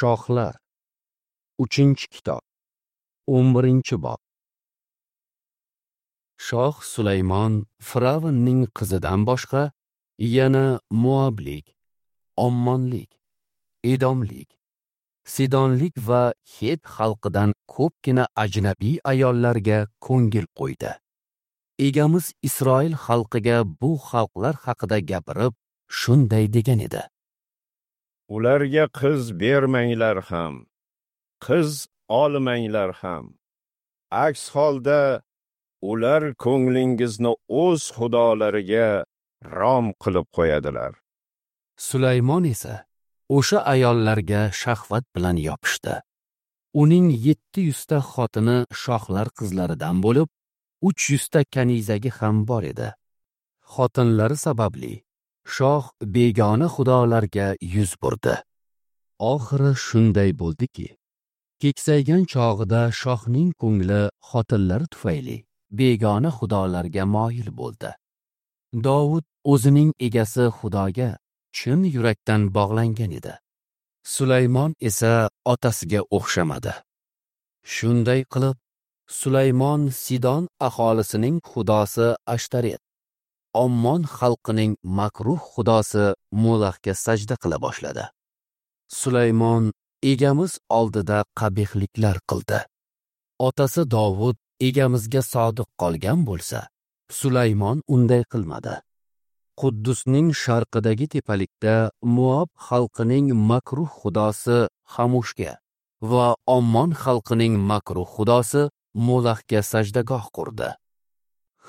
Shohlar, 3-kitob, 11-bob. Shoh Sulaymon Firavnning qizidan boshqa yana Moablik, Ommonlik, Edomlik, Sidonlik va Het xalqidan ko'pgina ajnabiy ayollarga ko'ngil qo'ydi. Egamiz Isroil xalqiga bu xalqlar haqida gapirib, shunday degan edi: Ularga qiz bermanglar ham, qiz olmanglar ham. Aks holda ular ko'nglingizni o'z xudolariga rom qilib qo'yadilar. Sulaymon esa o'sha ayollarga shahvat bilan yopishdi. Uning 700 ta xotini shohlar qizlaridan bo'lib, 300 ta kanizagi ham bor edi. Xotinlari sababli shoh begona xudolarga yuz burdi. Oxiri shunday bo'ldiki, keksaygan chog'ida shohning ko'ngli xotinlari tufayli begona xudolarga moyil bo'ldi. Dovud o'zining egasi Xudoga chin yurakdan bog'langan edi. Sulaymon esa otasiga o'xshamadi. Shunday qilib, Sulaymon Sidon aholisining xudosi Ashtaret, Ommon xalqining makruh xudosi Molahga sajda qila boshladi. Sulaymon egamiz oldida qabihliklar qildi. Otasi Dovud egamizga sodiq qolgan bo'lsa, Sulaymon unday qilmadi. Quddusning sharqidagi tepalikda Moab xalqining makruh xudosi Hamushga va Ommon xalqining makruh xudosi Molahga sajdagoh qurdi.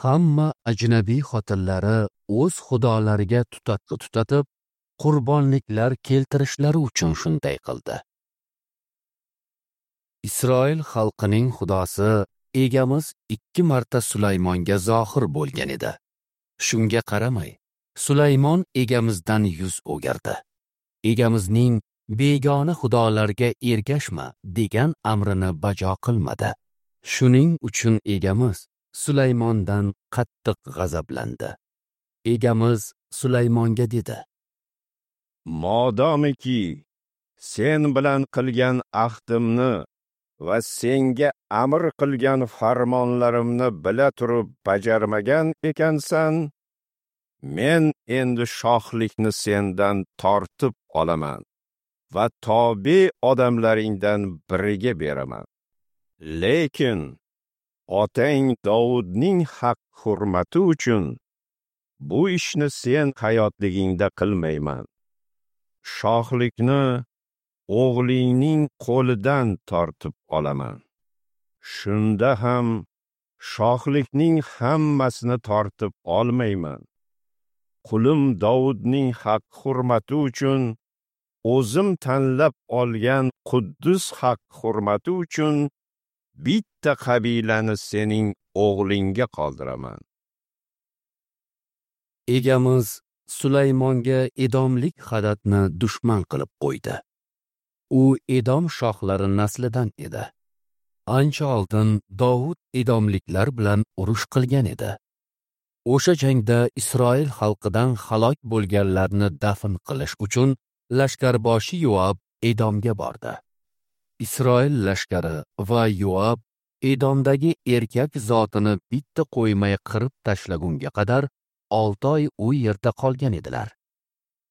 Hamma ajnabiy xotinlari o'z xudolariga tutatqi tutatib, qurbonliklar keltirishlari uchun shunday qildi. Isroil xalqining xudosi egamiz 2 marta Sulaymonga zohir bo'lgan edi. Shunga qaramay, Sulaymon egamizdan yuz o'girdi. Egamizning begona xudolarga ergashma degan amrini bajo qilmadi. Shuning uchun egamiz Sulaymondan qattiq g'azablandi. Egamiz Sulaymonga dedi: Modomiki sen bilan qilgan ahdimni va senga amr qilgan farmonlarimni bila turib bajarmagan ekansan, men endi shohlikni sendan tortib olaman va tobe odamlaringdan biriga beraman. Lekin otang Dovudning haq hurmati uchun bu ishni sen hayotligingda qilmayman. Shohlikni o'g'lingning qo'lidan tortib olaman. Shunda ham shohlikning hammasini tortib olmayman. Qulim Dovudning haq hurmati uchun, o'zim tanlab olgan Quddus haq hurmati uchun bitta qabilani sening o'g'lingga qoldiraman. Egamiz Sulaymonga Edomlik Hadatni dushman qilib qo'ydi. U Edom shohlari naslidan edi. Ancha oldin Dovud edomliklar bilan urush qilgan edi. O'sha jangda Isroil xalqidan halok bo'lganlarni dafn qilish uchun lashkarboshi Yoab Edomga bordi. Isroil lashkari va Yoab Edomdagi erkak zotini bitta qo'ymay qirib tashlagunga qadar 6 oy u yerda qolgan edilar.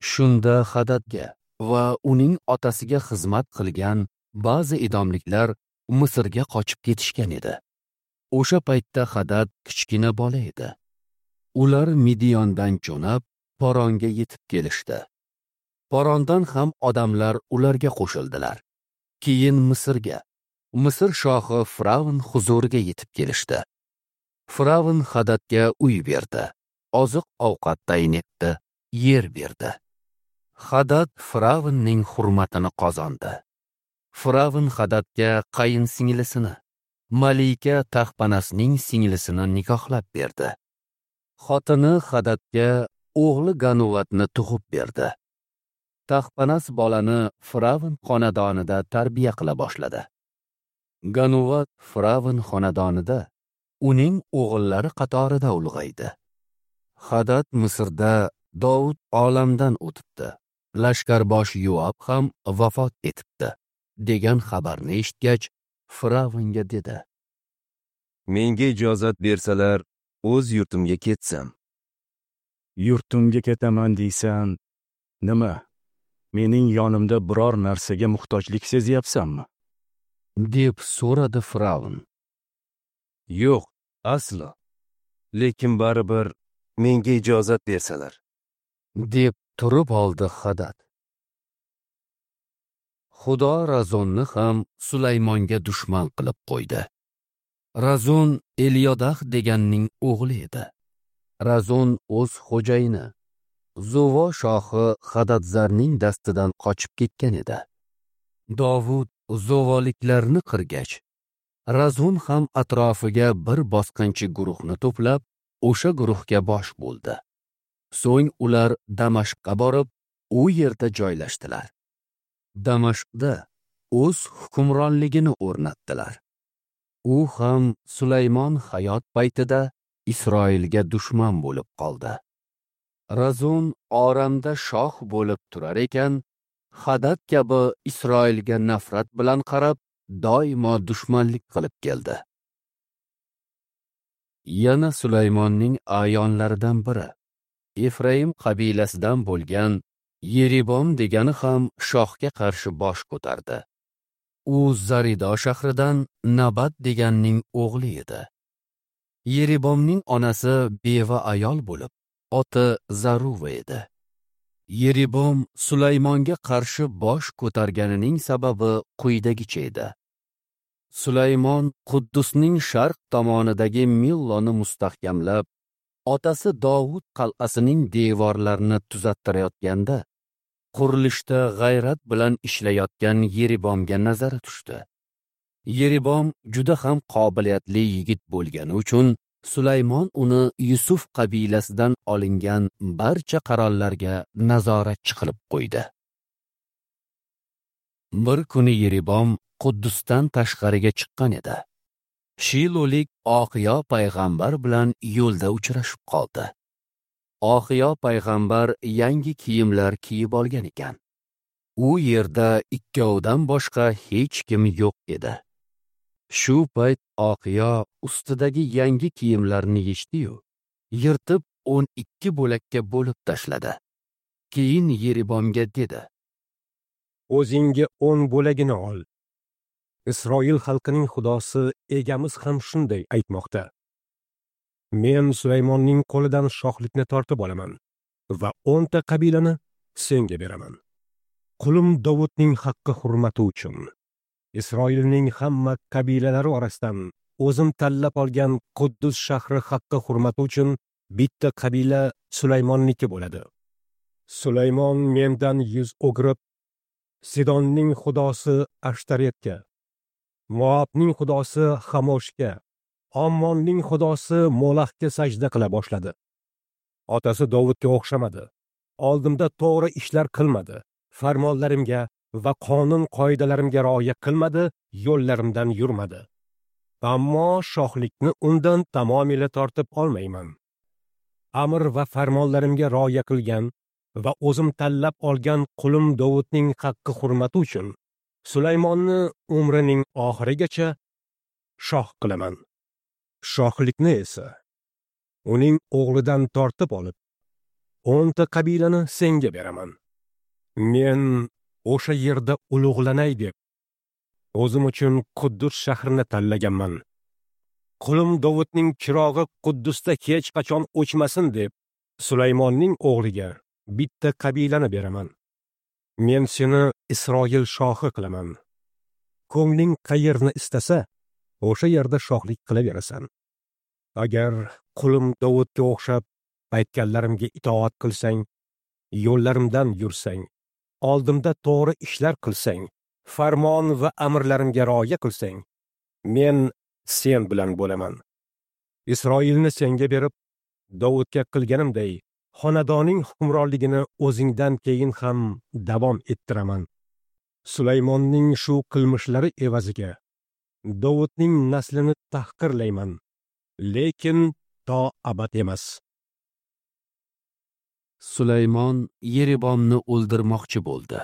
Shunda Hadatga va uning otasiga xizmat qilgan ba'zi edomliklar Misrga qochib ketishgan edi. O'sha paytda Hadat kichkina bola edi. Ular Midiyondan jo'nab Poronga yetib kelishdi. Porondan ham odamlar ularga qo'shildilar. Keyin Misrga, Misr shohi Firavn huzuriga yetib kelishdi. Firavn Hadatga uy berdi, oziq-ovqat tayin etdi, yer berdi. Hadat Firavnning hurmatini qozondi. Firavn Hadatga qayin singlisini, Malika Taxpanasning singlisini nikohlab berdi. Xotini Hadatga o'g'li Ganuvatni tug'ib berdi. Taxpanas bolani Firavn xonadonida tarbiya qila boshladi. Ganuvat Firavn xonadonida uning o'g'illari qatorida ulg'aydi. Hadat Misrda Dovud olamdan o'tibdi. Lashkarboshi Yoab ham vafot etibdi. degan xabarni eshitgach, Firavnga dedi: Menga ijozat bersalar, o'z yurtimga ketsam. Yurtimga ketaman deysan, nima? Mening yonimda biror narsaga muhtojlik sezyapsanmi? Deb so'radi Firavn. Yo'q, aslo. Lekin baribir menga ijozat bersalar, deb turib oldi Hadad. Xudo Razonni ham Sulaymonga dushman qilib qo'ydi. Razon Elyodah deganning o'g'li edi. Razon o'z xo'jayini Zuvo shohi Hadadzarning dastidan qochib ketgan edi. Dovud Zuvoliklarni qirgach, Razon ham atrofiga bir bosqinchi guruhni to'plab, o'sha guruhga bosh bo'ldi. So'ng ular Damashqqa borib, u yerda joylashdilar. Damashqda o'z hukmronligini o'rnatdilar. U ham Sulaymon hayot paytida Isroilga dushman bo'lib qoldi. Razon Oramda shoh bo'lib turar ekan, Hadad kabi Isroilga nafrat bilan qarab, doimo dushmanlik qilib keldi. Yana Sulaymonning a'yonlaridan biri, Efraim qabilasidan bo'lgan Yeribom degani ham shohga qarshi bosh ko'tardi. U Zarido shahridan Nabat deganning o'g'li edi. Yeribomning onasi beva ayol bo'lib, oti Zaruva edi. Yeribom Sulaymonga qarshi bosh ko'targanining sababi quyidagicha edi. Sulaymon Quddusning sharq tomonidagi Milloni mustahkamlab, otasi Dovud qal'asining devorlarini tuzattirayotganda, qurilishda g'ayrat bilan ishlayotgan Yeribomga nazari tushdi. Yeribom juda ham qobiliyatli yigit bo'lgani uchun Sulaymon uni Yusuf qabilasidan olingan barcha qarorlarga nazoratchi qilib qo'ydi. Bir kuni Yeribom Quddusdan tashqariga chiqqan edi. Shilolik Oxiyo payg'ambar bilan yo'lda uchrashib qoldi. Oxiyo payg'ambar yangi kiyimlar kiyib olgan ekan. U yerda ikkovidan boshqa hech kim yo'q edi. Shu payt Oxiyo ustidagi yangi kiyimlarni yechdi-yu, yirtib 12 bo'lakka bo'lib tashladi. Keyin Yeribomga dedi: O'zingga 10 bo'lagini ol. Isroil xalqining xudosi egamiz ham shunday aytmoqda: Men Sulaymonning qo'lidan shohlikni tortib olaman va 10 ta qabilani senga beraman. Qulim Dovudning haqqi hurmati uchun Isroilning hamma qabilalari orasidan o'zim tanlab olgan Quddus shahri haqqi hurmati uchun bitta qabila Sulaymonniki bo'ladi. Sulaymon mendan yuz o'girib, Sidonning xudosi Ashtaretga, Moabning xudosi Xamoshga, Ammonning xudosi Molahga sajda qila boshladi. Otasi Dovudga o'xshamadi. Oldimda to'g'ri ishlar qilmadi. Farmonlarimga va qonun qoidalarimga rioya qilmadi, yo'llarimdan yurmadi. Ammo shohlikni undan tamomila tortib olmayman. Amr va farmonlarimga rioya qilgan va o'zim tanlab olgan qulim Dovudning haqqi hurmati uchun Sulaymonni umrining oxirigacha shoh qilaman. Shohlikni esa uning o'g'lidan tortib olib, 10 ta qabilani senga beraman. Men o'sha yerda ulug'lanay deb o'zim uchun Quddus shahrini tanlaganman. Qulim Dovudning chirog'i Quddusda hech qachon o'chmasin deb Sulaymonning o'g'liga bitta qabilani beraman. Men seni Isroil shohi qilaman. Ko'ngling qayerni istasa, o'sha yerda shohlik qilaverasan. Agar qulim Dovudga o'xshab aytganlarimga itoat qilsang, yo'llarimdan yursang, oldimda to'g'ri ishlar qilsang, farmon va amrlarimga rioya qilsang, men sen bilan bo'laman. Isroilni senga berib, Dovudga qilganimday, xonadoning hukmronligini o'zingdan keyin ham davom ettiraman. Sulaymonning shu qilmishlari evaziga Dovudning naslini tahqirlayman, lekin to abad emas. Sulaymon Yeribomni o'ldirmoqchi bo'ldi.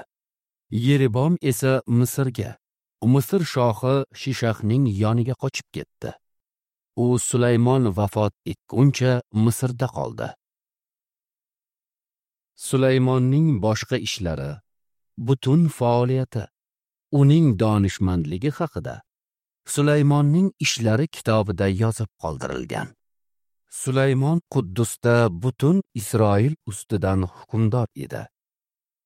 Yeribom esa Misrga, Misr shohi Shishaqning yoniga qochib ketdi. U Sulaymon vafot etguncha Misrda qoldi. Sulaymonning boshqa ishlari, butun faoliyati, uning donishmandligi haqida Sulaymonning ishlari kitobida yozib qoldirilgan. Sulaymon Quddusda butun Isroil ustidan hukmdor edi.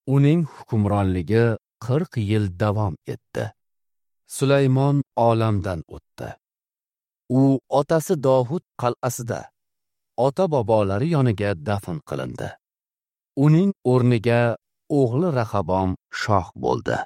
Uning hukmronligi 40 yil davom etdi. Sulaymon olamdan o'tdi. U otasi Dovud qal'asida ota-bobolari yoniga dafn qilindi. Uning o'rniga o'g'li Rahabom shoh bo'ldi.